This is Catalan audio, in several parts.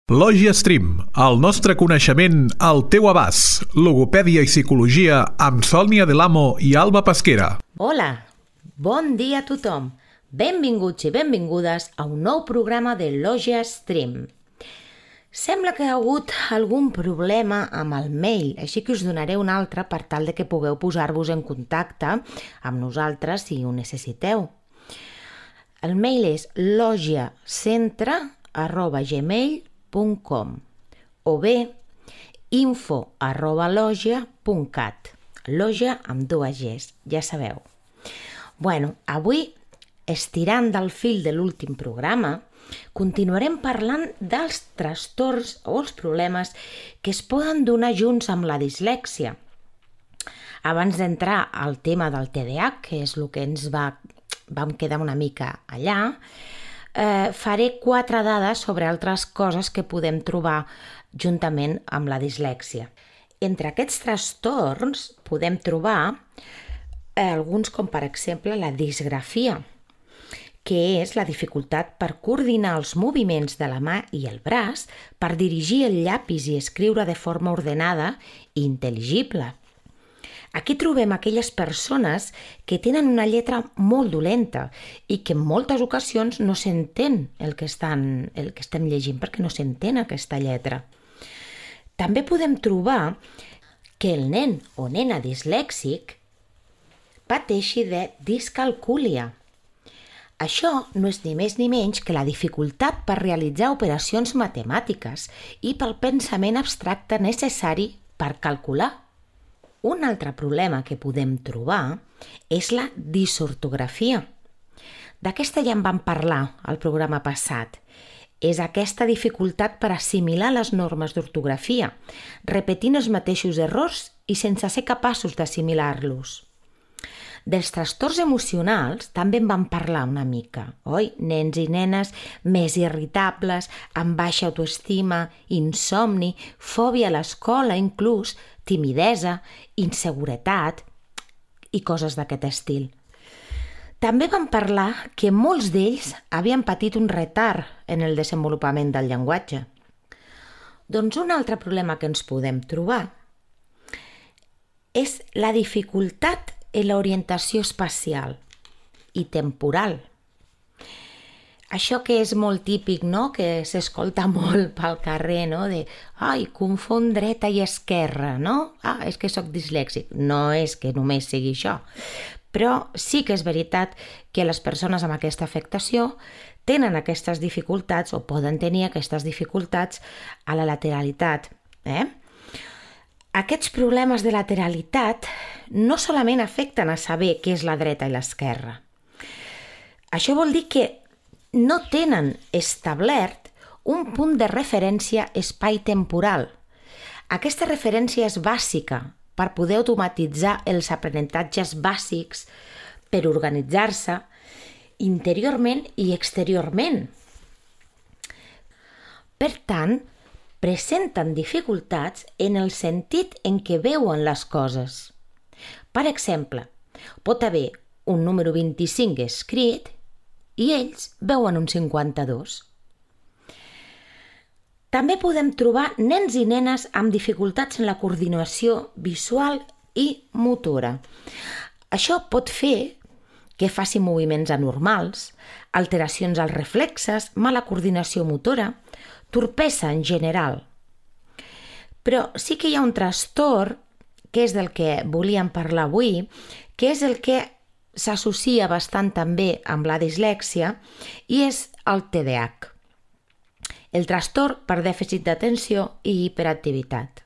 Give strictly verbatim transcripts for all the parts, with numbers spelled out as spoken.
Lògia Stream, el nostre coneixement al teu abast. Logopèdia i psicologia amb Sònia Delamo i Alba Pesquera. Hola, bon dia a tothom. Benvinguts i benvingudes a un nou programa de Lògia Stream. Sembla que hi ha hagut algun problema amb el mail, així que us donaré un altre per tal de que pugueu posar-vos en contacte amb nosaltres si ho necessiteu. El mail és logiacentre arroba gmail punt com o bé info arroba logia punt cat. Logia amb dues Gs, ja sabeu. Bueno, avui, estirant del fil de l'últim programa, continuarem parlant dels trastorns o els problemes que es poden donar junts amb la dislèxia. Abans d'entrar al tema del T D A H, que és el que ens va, vam quedar una mica allà, eh, faré quatre dades sobre altres coses que podem trobar juntament amb la dislèxia. Entre aquests trastorns podem trobar eh, alguns com per exemple la disgrafia, que és la dificultat per coordinar els moviments de la mà i el braç per dirigir el llapis i escriure de forma ordenada i intel·ligible. Aquí trobem aquelles persones que tenen una lletra molt dolenta i que en moltes ocasions no s'entén el que estan, el que estem llegint perquè no s'entén aquesta lletra. També podem trobar que el nen o nena dislèxic pateixi de discalcúlia. Això no és ni més ni menys que la dificultat per realitzar operacions matemàtiques i pel pensament abstracte necessari per calcular. Un altre problema que podem trobar és la disortografia. D'aquesta ja en vam parlar al programa passat. És aquesta dificultat per assimilar les normes d'ortografia, repetint els mateixos errors i sense ser capaços d'assimilar-los. Dels trastorns emocionals també en vam parlar una mica, oi? Nens i nenes més irritables, amb baixa autoestima, insomni, fòbia a l'escola inclús, timidesa, inseguretat i coses d'aquest estil. També vam parlar que molts d'ells havien patit un retard en el desenvolupament del llenguatge. Doncs un altre problema que ens podem trobar és la dificultat en l'orientació espacial i temporal. Això que és molt típic, no?, que s'escolta molt pel carrer, no?, de ai, confon dreta i esquerra, no? Ah, és que sóc dislèxic. No és que només sigui això. Però sí que és veritat que les persones amb aquesta afectació tenen aquestes dificultats o poden tenir aquestes dificultats a la lateralitat, eh? Aquests problemes de lateralitat no solament afecten a saber què és la dreta i l'esquerra. Això vol dir que no tenen establert un punt de referència espai-temporal. Aquesta referència és bàsica per poder automatitzar els aprenentatges bàsics, per organitzar-se interiorment i exteriorment. Per tant, presenten dificultats en el sentit en què veuen les coses. Per exemple, pot haver un número vint-i-cinc escrit i ells veuen un cinquanta-dos. També podem trobar nens i nenes amb dificultats en la coordinació visual i motora. Això pot fer que faci moviments anormals, alteracions als reflexes, mala coordinació motora, torpesa en general. Però sí que hi ha un trastorn, que és del que volíem parlar avui, que és el que s'associa bastant també amb la dislèxia i és el T D A H, el trastorn per dèficit d'atenció i hiperactivitat.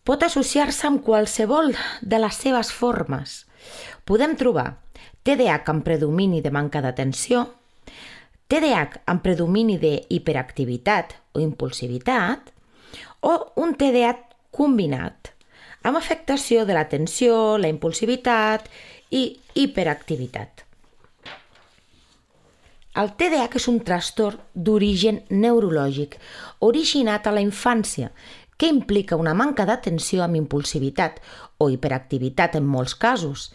Pot associar-se amb qualsevol de les seves formes. Podem trobar T D A H amb predomini de manca d'atenció, T D A H amb predomini de hiperactivitat o impulsivitat, o un T D A H combinat, amb afectació de l'atenció, la impulsivitat i hiperactivitat. El T D A H és un trastorn d'origen neurològic, originat a la infància, que implica una manca d'atenció amb impulsivitat o hiperactivitat en molts casos,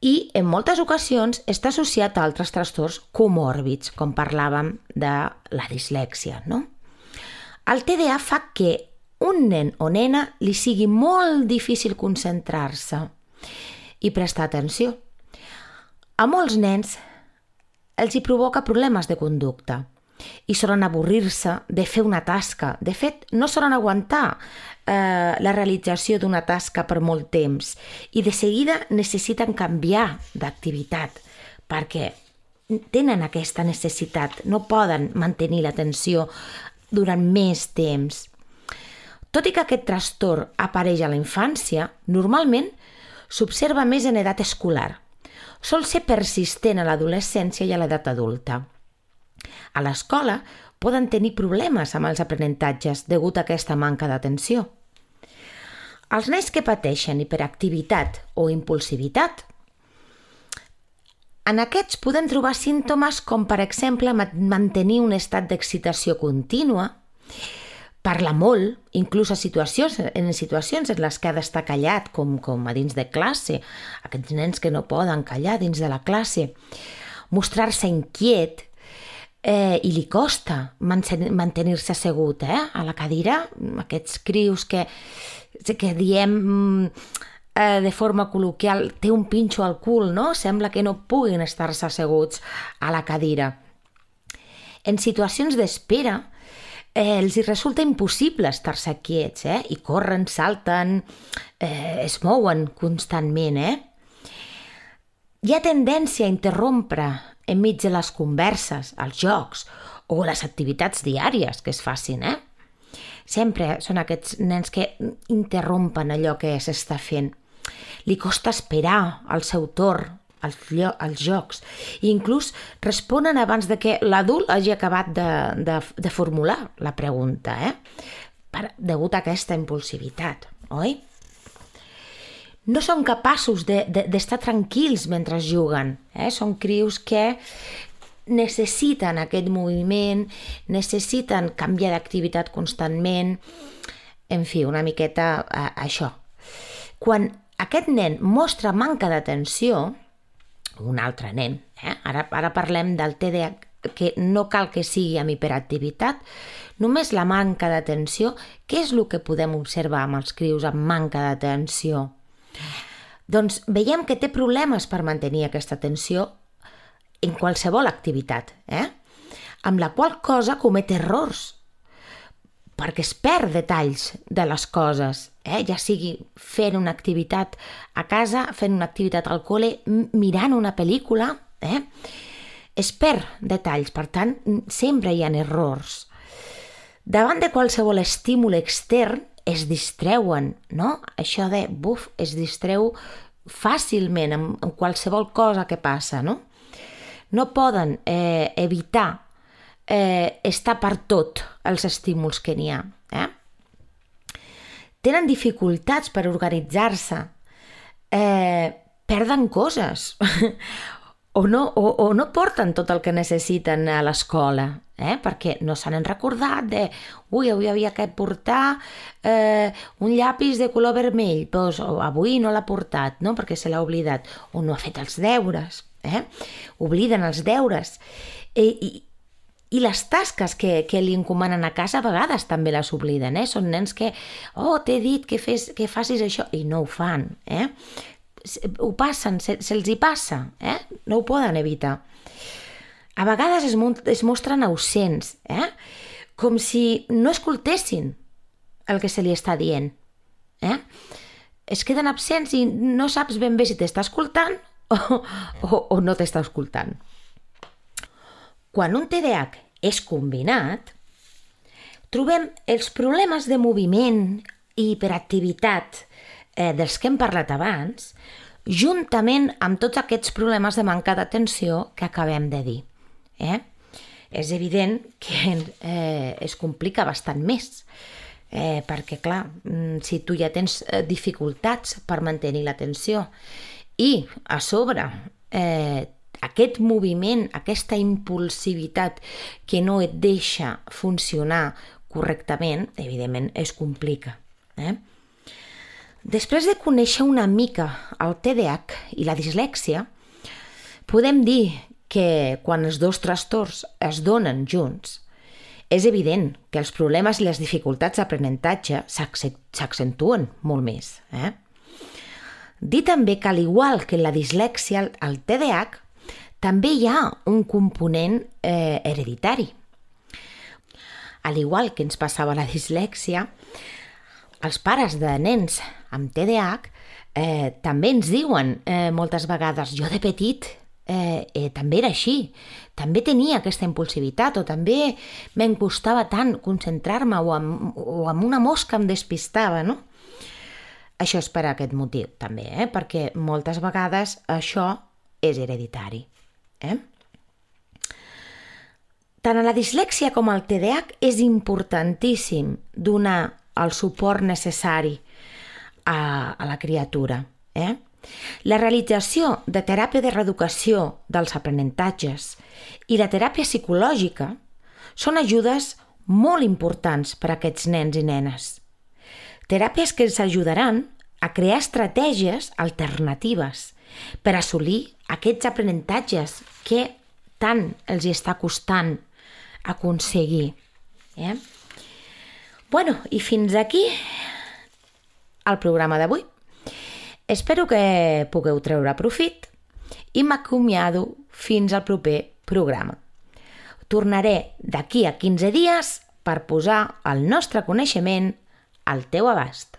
i en moltes ocasions està associat a altres trastorns comòrbids, com parlàvem de la dislèxia, no? El T D A fa que un nen o nena li sigui molt difícil concentrar-se i prestar atenció. A molts nens els hi provoca problemes de conducta i solen avorrir-se de fer una tasca. De fet, no solen aguantar eh, la realització d'una tasca per molt temps i de seguida necessiten canviar d'activitat perquè tenen aquesta necessitat, no poden mantenir l'atenció durant més temps. Tot i que aquest trastorn apareix a la infància, normalment s'observa més en edat escolar. Sol ser persistent a l'adolescència i a l'edat adulta. A l'escola poden tenir problemes amb els aprenentatges degut a aquesta manca d'atenció. Els nens que pateixen hiperactivitat o impulsivitat, en aquests podem trobar símptomes com, per exemple, mantenir un estat d'excitació contínua, parlar molt, inclús a situacions, en situacions en les que ha d'estar callat, com, com a dins de classe, aquests nens que no poden callar dins de la classe, mostrar-se inquiet, eh, i li costa mantenir-se assegut eh, a la cadira, aquests crios que, que diem eh, de forma col·loquial, té un pinxo al cul, no? Sembla que no puguin estar-se asseguts a la cadira. En situacions d'espera, Eh, els hi resulta impossible estar-se quiets, eh? I corren, salten, eh, es mouen constantment, eh? Hi ha tendència a interrompre enmig de les converses, els jocs o les activitats diàries que es facin, eh? Sempre són aquests nens que interrompen allò que s'està fent. Li costa esperar el seu torn, els, els jocs, i inclús responen abans de que l'adult hagi acabat de, de, de formular la pregunta, eh? Per, degut a aquesta impulsivitat, oi? No són capaços de, de, d'estar tranquils mentre juguen, eh? Són crios que necessiten aquest moviment, necessiten canviar d'activitat constantment, en fi, una miqueta eh, això. Quan aquest nen mostra manca d'atenció, un altre nen, eh? ara, ara parlem del T D A H, que no cal que sigui amb hiperactivitat, només la manca d'atenció. Què és el que podem observar amb els crios amb manca d'atenció? Doncs veiem que té problemes per mantenir aquesta atenció en qualsevol activitat, eh? Amb la qual cosa comet errors, perquè es perd detalls de les coses, eh? Ja sigui fent una activitat a casa, fent una activitat al col·le, mirant una pel·lícula, eh? Es perd detalls, per tant, sempre hi ha errors. Davant de qualsevol estímul extern, es distreuen, no? Això de, buf, es distreu fàcilment amb, amb qualsevol cosa que passa, no? No poden eh, evitar Eh, està per tot els estímuls que n'hi ha. Eh? Tenen dificultats per organitzar-se, eh, perden coses o, no, o, o no porten tot el que necessiten a l'escola, eh? Perquè no s'han recordat de ui, avui havia que portar eh, un llapis de color vermell, doncs avui no l'ha portat, no? Perquè se l'ha oblidat, o no ha fet els deures, eh? Obliden els deures. I, i I les tasques que, que li encomanen a casa a vegades també les obliden, eh? Són nens que, oh, t'he dit que, fes, que facis això, i no ho fan, eh? Ho passen, se, se'ls hi passa, eh? No ho poden evitar. A vegades es, es mostren ausents, eh? Com si no escoltessin el que se li està dient, eh? Es queden absents i no saps ben bé si t'està escoltant o, o, o no t'està escoltant. Quan un T D A H és combinat, trobem els problemes de moviment i hiperactivitat eh, dels que hem parlat abans, juntament amb tots aquests problemes de manca d'atenció que acabem de dir. Eh? És evident que eh, es complica bastant més, eh, perquè, clar, si tu ja tens dificultats per mantenir l'atenció i, a sobre, eh, aquest moviment, aquesta impulsivitat que no et deixa funcionar correctament, evidentment es complica. Eh? Després de conèixer una mica el T D A H i la dislèxia, podem dir que quan els dos trastorns es donen junts, és evident que els problemes i les dificultats d'aprenentatge s'accentuen molt més. Eh? Dir també que, al igual que en la dislèxia, el T D A H, també hi ha un component eh, hereditari. Al igual que ens passava la dislèxia, els pares de nens amb T D A H eh, també ens diuen eh, moltes vegades: jo de petit eh, eh, també era així, també tenia aquesta impulsivitat, o també me'n costava tant concentrar-me, o amb, o amb una mosca em despistava, no? Això és per aquest motiu, també, eh? Perquè moltes vegades això és hereditari. Eh? Tant a la dislèxia com al T D A H és importantíssim donar el suport necessari a, a la criatura. Eh? La realització de teràpia de reeducació dels aprenentatges i la teràpia psicològica són ajudes molt importants per a aquests nens i nenes. Teràpies que ens ajudaran a crear estratègies alternatives per assolir aquests aprenentatges que tant els està costant aconseguir. Eh? Bueno, i fins aquí el programa d'avui. Espero que pugueu treure profit i m'acomiado fins al proper programa. Tornaré d'aquí a quinze dies per posar el nostre coneixement al teu abast.